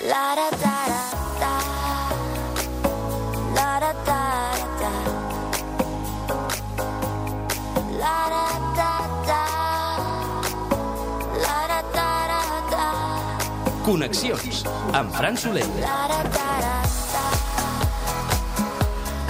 La da da da la da da da la da da da la da da da. Connexions amb Fran Soler.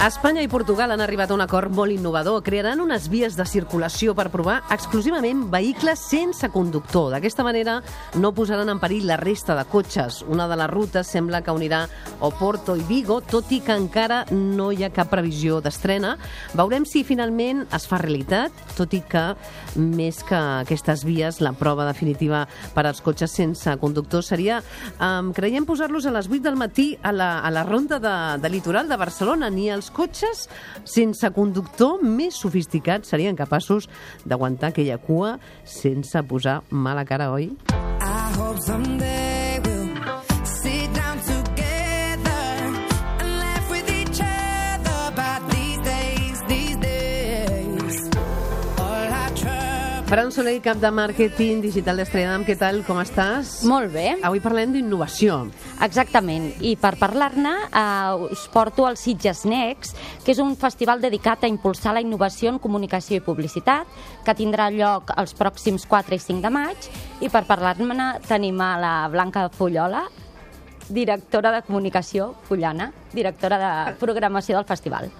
Espanya i Portugal han arribat a un acord molt innovador. Crearan unes vies de circulació per provar exclusivament vehicles sense conductor. D'aquesta manera no posaran en perill la resta de cotxes. Una de les rutes sembla que unirà Oporto i Vigo, tot i que encara no hi ha cap previsió d'estrena. Veurem si finalment es fa realitat, tot i que més que aquestes vies, la prova definitiva per als cotxes sense conductor seria, creiem, posar-los a les 8 del matí a la ronda de litoral de Barcelona. Ni els cotxes sense conductor més sofisticats serien capaços d'aguantar aquella cua sense posar mala cara, oi? I hope someday we'll sit down together and laugh with each other about these days. All I try. Fran Soler, cap de màrqueting digital d'Estrella d'Am, què tal, com estàs? Molt bé. Avui parlem d'innovació. Exactament, i per parlar-ne us porto al Sitges Next, que és un festival dedicat a impulsar la innovació en comunicació i publicitat, que tindrà lloc els pròxims 4 i 5 de maig, i per parlar-ne tenim a la Blanca Fullola, directora de comunicació Fullana, directora de programació del festival.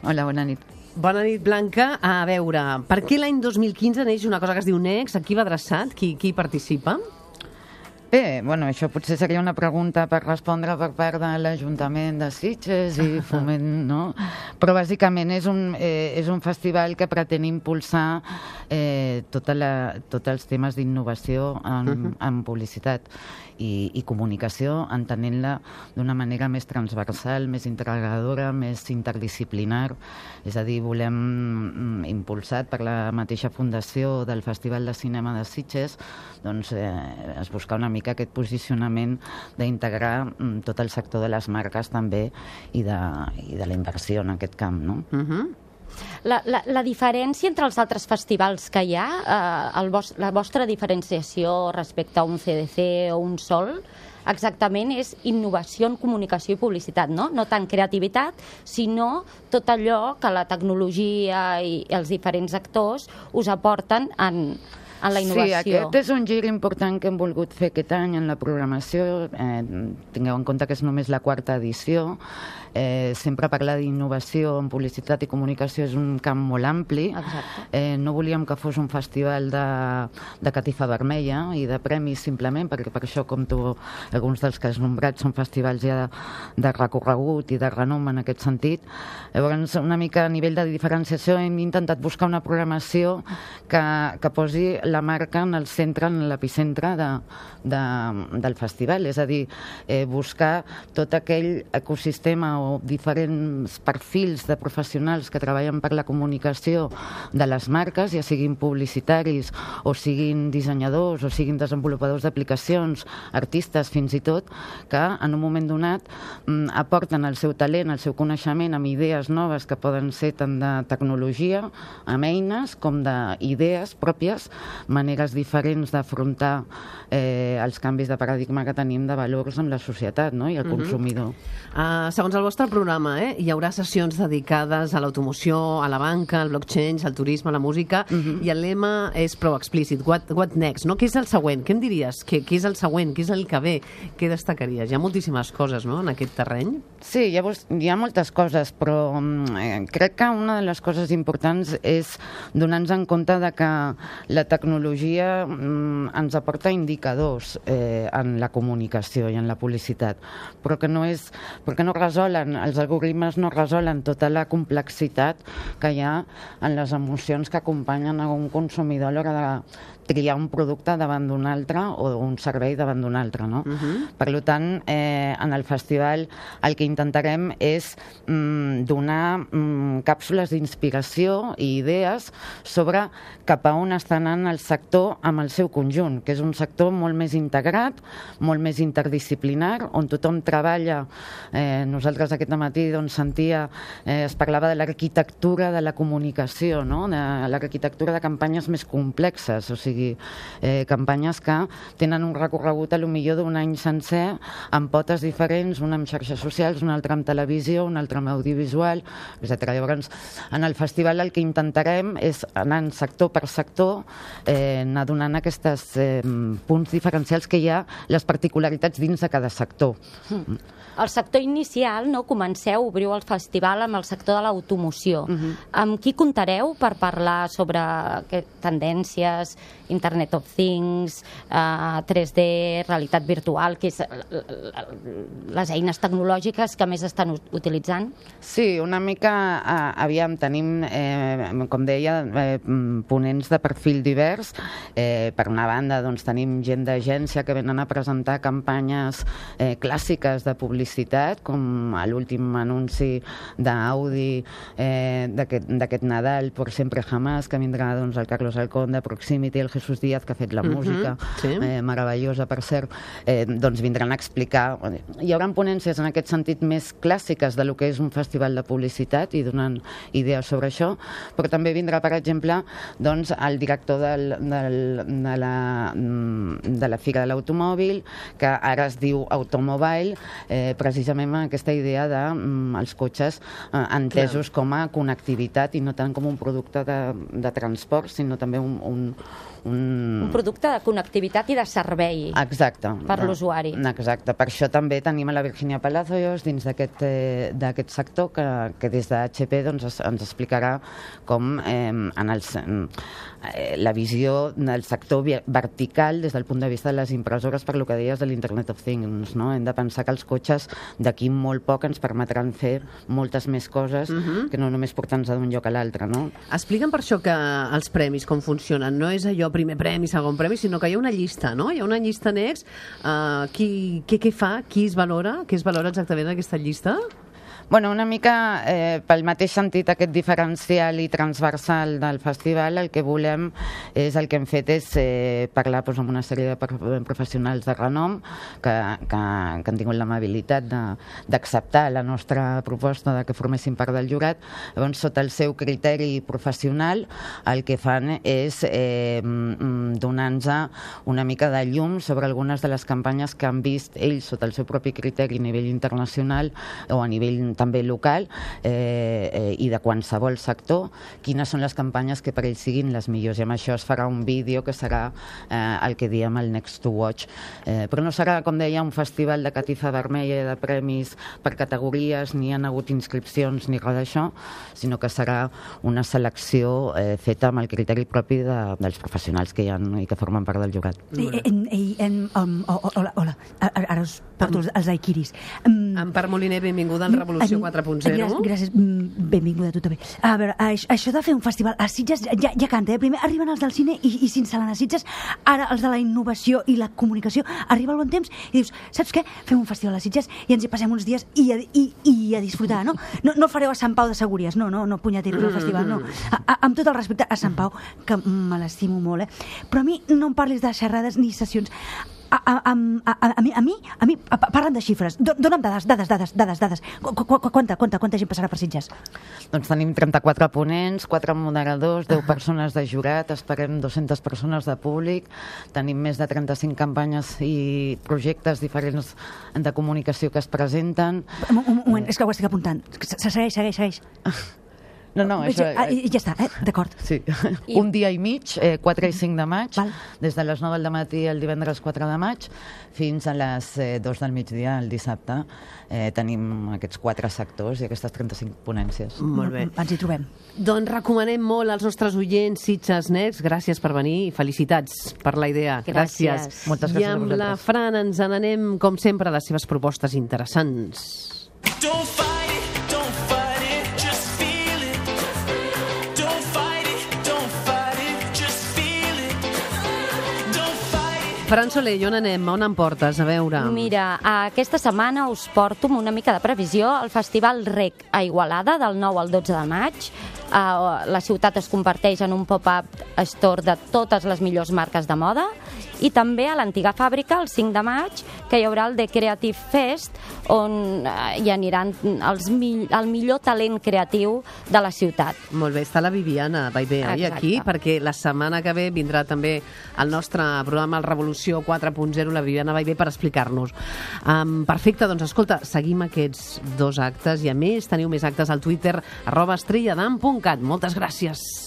Hola, bona nit. Bona nit, Blanca. A veure, per què l'any 2015 neix una cosa que es diu Next? A qui va adreçat? Qui hi participa? Bé, bueno, això potser seria una pregunta per respondre per part de l'Ajuntament de Sitges i Foment, no? Però bàsicament és un festival que pretén impulsar tots els temes d'innovació en publicitat i comunicació, entenent-la d'una manera més transversal, més integradora, més interdisciplinar. És a dir, volem, impulsat per la mateixa fundació del Festival de Cinema de Sitges, doncs es busca una mica aquest posicionament d'integrar tot el sector de les marques també i de la inversió en aquest camp, no? La diferència entre els altres festivals que hi ha, la vostra diferenciació respecte a un CDC o un Sol, exactament és innovació en comunicació i publicitat, no? No tant creativitat, sinó tot allò que la tecnologia i els diferents actors us aporten en la innovació. Sí, aquest és un gir important que hem volgut fer aquest any en la programació. Tingueu en compte que és només la 4ª edició. Sempre parlar d'innovació en publicitat i comunicació és un camp molt ampli. No volíem que fos un festival de catifa vermella i de premis simplement, perquè per això, com tu, alguns dels que has nombrat són festivals ja de recorregut i de renom en aquest sentit. Llavors, una mica a nivell de diferenciació hem intentat buscar una programació que posi la marca en el centre, en l'epicentre del festival, és a dir, buscar tot aquell ecosistema o diferents perfils de professionals que treballen per la comunicació de les marques, ja siguin publicitaris o siguin dissenyadors o siguin desenvolupadors d'aplicacions, artistes fins i tot, que en un moment donat aporten el seu talent, el seu coneixement amb idees noves que poden ser tant de tecnologia, amb eines, com d'idees pròpies, maneres diferents d'afrontar els canvis de paradigma que tenim de valors amb la societat, no? I el consumidor. Segons el vostre programa, hi haurà sessions dedicades a l'automoció, a la banca, al blockchain, al turisme, a la música, i el lema és prou explícit. What next? No? Què és el següent? Què em diries? Què és el següent? Què és el que ve? Què destacaries? Hi ha moltíssimes coses, no?, en aquest terreny. Sí, hi ha moltes coses, però crec que una de les coses importants és donar-nos en compte de que la tecnologia ens aporta indicadors en la comunicació i en la publicitat, però que no resolen, els algoritmes no resolen tota la complexitat que hi ha en les emocions que acompanyen a un consumidor a l'hora de triar un producte davant d'un altre o un servei davant d'un altre, no? Per tant, en el festival el que intentarem és donar càpsules d'inspiració i idees sobre cap a on està anant el sector amb el seu conjunt, que és un sector molt més integrat, molt més interdisciplinar, on tothom treballa. Nosaltres aquest matí sentia, es parlava de l'arquitectura de la comunicació, no? De l'arquitectura de campanyes més complexes, o sigui, campanyes que tenen un recorregut a lo millor d'un any sencer, amb potes diferents, una amb xarxes socials, una altra amb televisió, una altra amb audiovisual, etc. Llavors, en el festival el que intentarem és anar sector per sector, anar donant aquests punts diferencials que hi ha, les particularitats dins de cada sector. El sector inicial, no, comenceu, obriu el festival amb el sector de l'automoció. Amb qui comptareu per parlar sobre tendències, Internet of Things, 3D, realitat virtual, que és les eines tecnològiques que més estan utilitzant? Sí, una mica, aviam, tenim, com deia, ponents de perfil divers. Per una banda, doncs, tenim gent d'agència que venen a presentar campanyes clàssiques de publicitat, com l'últim anunci d'Audi d'aquest Nadal, Por Siempre Jamás, que vindrà doncs, el Carlos Alcón de Proximity, el Jesús Díaz, que ha fet la música, meravellosa, per cert, doncs vindran a explicar. Hi haurà ponències en aquest sentit més clàssiques de lo que és un festival de publicitat i donant idees sobre això, però també vindrà, per exemple, doncs, el director de la Fira de l'Automòbil, que ara es diu Automobile, precisament amb aquesta idea dels cotxes entesos com a connectivitat i no tant com un producte de transport, sinó també un producte de connectivitat i de servei. Exacte. Per l'usuari. Exacte. Per això també tenim a la Virginia Palacios dins d'aquest sector que des de HP doncs, ens explicarà com la visió del sector vertical des del punt de vista de les impressores, per lo que deies de l'Internet of Things, no? Hem de pensar que els cotxes d'aquí molt poc ens permetran fer moltes més coses que no només portar-nos d'un lloc a l'altre, no? Explica'm per això que els premis com funcionen. No és allò primer premi, segon premi, sinó que hi ha una llista, no? Hi ha una llista next. Què fa? Qui es valora? Què es valora exactament en aquesta llista? Bueno, una mica pel mateix sentit aquest diferencial i transversal del festival, el que volem és, el que hem fet és parlar doncs, amb una sèrie de professionals de renom que han tingut l'amabilitat d'acceptar la nostra proposta de que formessin part del jurat. Llavors, sota el seu criteri professional, el que fan és donar-nos una mica de llum sobre algunes de les campanyes que han vist ells sota el seu propi criteri a nivell internacional o a nivell també local i de qualsevol sector, quines són les campanyes que per ells siguin les millors. I amb això es farà un vídeo que serà el que diem el Next to Watch. Però no serà, com deia, un festival de catifa vermella de premis per categories, ni hi ha hagut inscripcions ni res d'això, sinó que serà una selecció feta amb el criteri propi dels professionals que hi ha i que formen part del jurat. Hola, ara us porto els daiquiris. Empar Moliner, benvinguda al Revolució 4.0. Gràcies, benvinguda a tu també. A veure, això de fer un festival a Sitges ja canta, Primer arriben els del cine i s'instal·len a Sitges, ara els de la innovació i la comunicació, arriba el bon temps i dius, saps què? Fem un festival a Sitges i ens hi passem uns dies i a disfrutar, no? No fareu a Sant Pau de Segúries, no punyeteros al festival, no. Amb tot el respecte a Sant Pau, que me l'estimo molt, però a mi no em parlis de xerrades ni sessions. A mi, parlen de xifres. Dóna'm dades. Quanta gent passarà per Sitges? Doncs tenim 34 ponents, 4 moderadors, 10 persones de jurat, esperem 200 persones de públic, tenim més de 35 campanyes i projectes diferents de comunicació que es presenten. Un moment, és que ho estic apuntant. Segueix. No, això... Ja està, d'acord. Sí. Un dia i mig, 4 i 5 de maig, des de les 9 del matí el divendres 4 de maig, fins a les 2 del migdia el dissabte. Tenim aquests 4 sectors i aquestes 35 ponències. Molt bé. Ens hi trobem. Doncs recomanem molt als nostres oients Sitges Next. Gràcies per venir i felicitats per la idea. Gràcies. Moltes gràcies I amb a vosaltres. la Fran ens n'anem, com sempre, a les seves propostes interessants. Don't fight it, don't fight it, just feel it. Don't fight it, don't fight it, just feel it. Don't fight it, Fran Soler, on anem? On em portes? A veure. Mira, aquesta setmana us porto amb una mica de previsió al Festival Rec a Igualada del 9 al 12 de maig. La ciutat es converteix en un pop-up store de totes les millors marques de moda, i també a l'antiga fàbrica, el 5 de maig, que hi haurà el The Creative Fest, on hi aniran el millor talent creatiu de la ciutat. Molt bé, està la Viviana Baivé aquí, perquè la setmana que ve vindrà també el nostre programa El Revolució 4.0, la Viviana Baivé, per explicar-nos. Perfecte, doncs escolta, seguim aquests 2 actes, i a més teniu més actes al Twitter, @estrelladam.cat. Moltes gràcies.